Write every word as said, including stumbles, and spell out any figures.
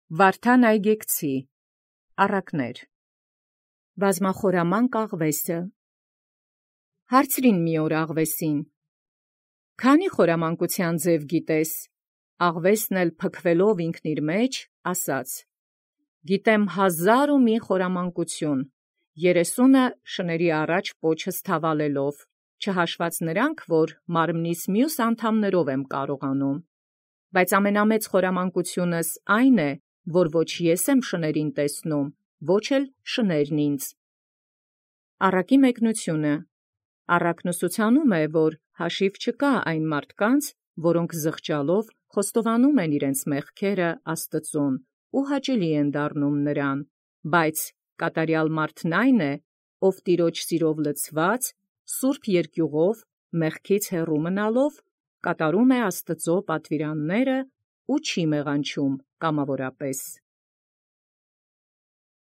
Վարդան Այգեկցի առակներ բազմախորամանկ աղվեսը հարցրին մի օր աղվեսին. «Քանի խորամանկութեան ձև գիտես?» Աղվեսն էլ փքվելով ինքն իր մեջ ասաց. «Գիտեմ հազար ու մի խորամանկություն, երեսունը շնորհի առաջ պոչս թավալելով, չհաշված նրանք, որ մարմնիս մյուս անդամներով եմ կարողանում, բայց ամենամեծ խորամանկությունս այն է, որ ոչ ես եմ շներին տեսնում, ոչ էլ շներն ինձ»։ Առակի մեկնությունը առակն ուսուցանում է, որ հաշիվ չկա այն մարդկանց, որոնք զղջալով խոստովանում են իրենց մեղքերը Աստուծոյ ու հաճելի են դառնում նրան, բայց կատարյալ մարդն այն է, ով տիրոջ սիրով լցված, սուրբ երկյուղով մեղքից հեռու մնալով կատարում է Աստուծոյ պատվիրանները ու չի մեղանչում կամավորապես։